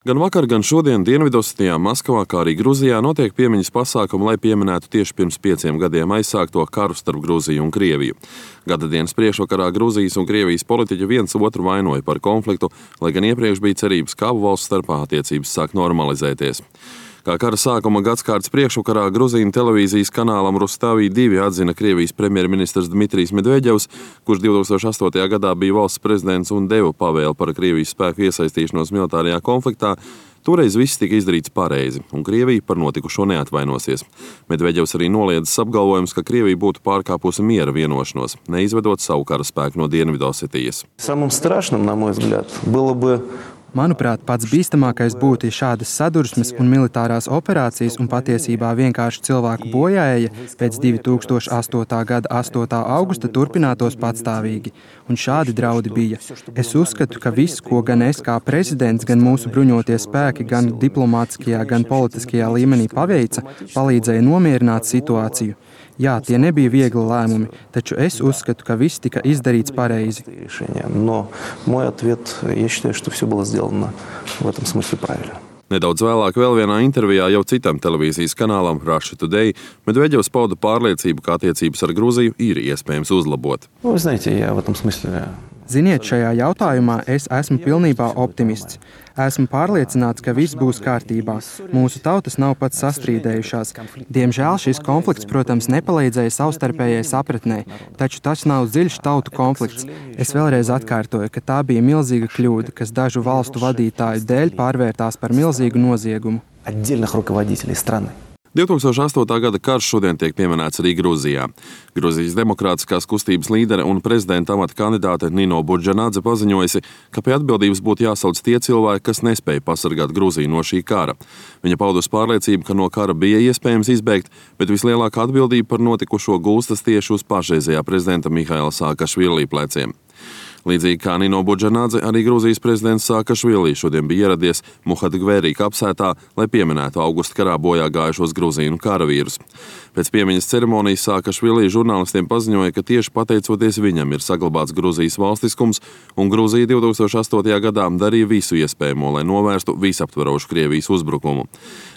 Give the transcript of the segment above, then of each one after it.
Gan vakar, gan šodien Dienvidosetijā, Maskavā, kā arī Gruzijā notiek piemiņas pasākumi, lai pieminētu tieši pirms 5 gadiem aizsākto karu starp Gruziju un Krieviju. Gadadienas priekšvakarā Gruzijas un Krievijas politiķi viens otru vainoja par konfliktu, lai gan iepriekš bija cerības, ka abu valstu starpā attiecības sāk normalizēties. Kā kara sākuma gadskārtas priekšvakarā Gruzīnu televīzijas kanālam Rustavi 2 atzina Krievijas premjerministrs Dmitrijs Medvedevs, kurš 2008. gadā bija valsts prezidents un deva pavēli par Krievijas spēku iesaistīšanos militārajā konfliktā. Toreiz viss tika izdarīts pareizi, un Krievija par notikušo neatvainosies. Medvedevs arī noliedzis apgalvojums, ka Krievija būtu pārkāpusi miera vienošanos, neizvedot savu karaspēku no Dienvidosetijas. Самым страшным, на мой взгляд, было бы Manuprāt, pats bīstamākais būtu, ja šādas sadursmes un militārās operācijas un patiesībā vienkārši cilvēku bojāēja pēc 2008. gada 8. augusta turpinātos patstāvīgi. Un šādi draudi bija. Es uzskatu, ka viss, ko gan es kā prezidents, gan mūsu bruņotie spēki, gan diplomātiskajā, gan politiskajā līmenī paveica, palīdzēja nomierināt situāciju. Jā, tie nebija viegli lēmumi, taču es uzskatu, ka viss tika izdarīts pareizi. Но мой ответ, я считаю, что все было сделано в этом смысле правильно. Nedaudz vēlāk vēl vienā intervijā jau citam televīzijas kanālam Russia Today Medvedevs pauda pārliecību, ka attiecības ar Gruziju ir iespējams uzlabot. Вы знаете, я в этом смысле... Ziniet, šajā jautājumā es esmu pilnībā optimists. Esmu pārliecināts, ka viss būs kārtībā. Mūsu tautas nav pat sastrīdējušās. Diemžēl šis konflikts, protams, nepalīdzēja savstarpējai sapratnei, taču tas nav dziļš tautu konflikts. Es vēlreiz atkārtoju, ka tā bija milzīga kļūda, kas dažu valstu vadītāju dēļ pārvērtās par milzīgu noziegumu. 2008. gada karš šodien tiek pieminēts arī Gruzijā. Gruzijas demokrātiskās kustības līdere un prezidenta amata kandidāte Nino Budžanadze paziņojusi, ka pie atbildības būtu jāsauc tie cilvēki, kas nespēja pasargāt Gruziju no šī kara. Viņa paudusi pārliecību, ka no kara bija iespējams izbēgt, bet vislielākā atbildība par notikušo gulstas tieši uz pašreizējā prezidenta Mihaila Saakašvili pleciem. Līdzīgi kā Nino Budžanadze, arī Gruzijas prezidents Saakašvili šodien bija ieradies Muhadgverī kapsētā, lai pieminētu augusta karā bojā gājušos Gruzīnu karavīrus. Pēc piemiņas ceremonijas Saakašvili žurnālistiem paziņoja, ka tieši pateicoties viņam ir saglabāts Gruzijas valstiskums, un Gruzija 2008. gadā darīja visu iespējamo, lai novērstu visaptverošu Krievijas uzbrukumu.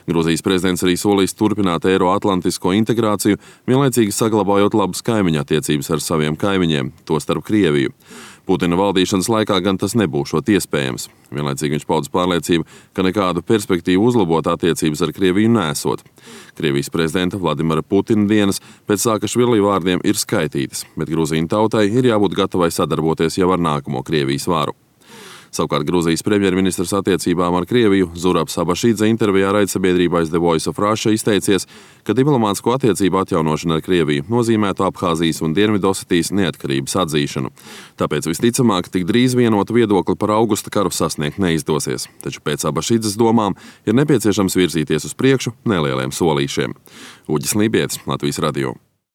Gruzijas prezidents arī solīs turpināt eiroatlantisko integrāciju, vienlaicīgi saglabājot labas kaimiņa attiecības ar saviem kaimiņiem, tostarp Krieviju. Putina valdīšanas laikā gan tas nebūšot iespējams. Vienlaicīgi viņš paudas pārliecību, ka nekādu perspektīvu uzlabot attiecības ar Krieviju nesot. Krievijas prezidenta Vladimira Putina dienas pēc Saakašvili vārdiem ir skaitītas, bet Gruzīnu tautai ir jābūt gatavai sadarboties jau ar nākamo Krievijas varu. Savukārt Gruzijas premjerministrs attiecībām ar Krieviju Zurabs Abašidze intervijā raidsabiedrībā The Voice of Russia izteicies, ka diplomātisko attiecību atjaunošana ar Krieviju nozīmētu Abhāzijas un Dienvidosetijas neatkarības atzīšanu. Tāpēc visticamāk tik drīz vienotu viedokli par augusta karu sasniegt neizdosies. Taču pēc Abašidzes domām ir nepieciešams virzīties uz priekšu nelieliem solīšiem. Uģis Lībietis, Latvijas radio.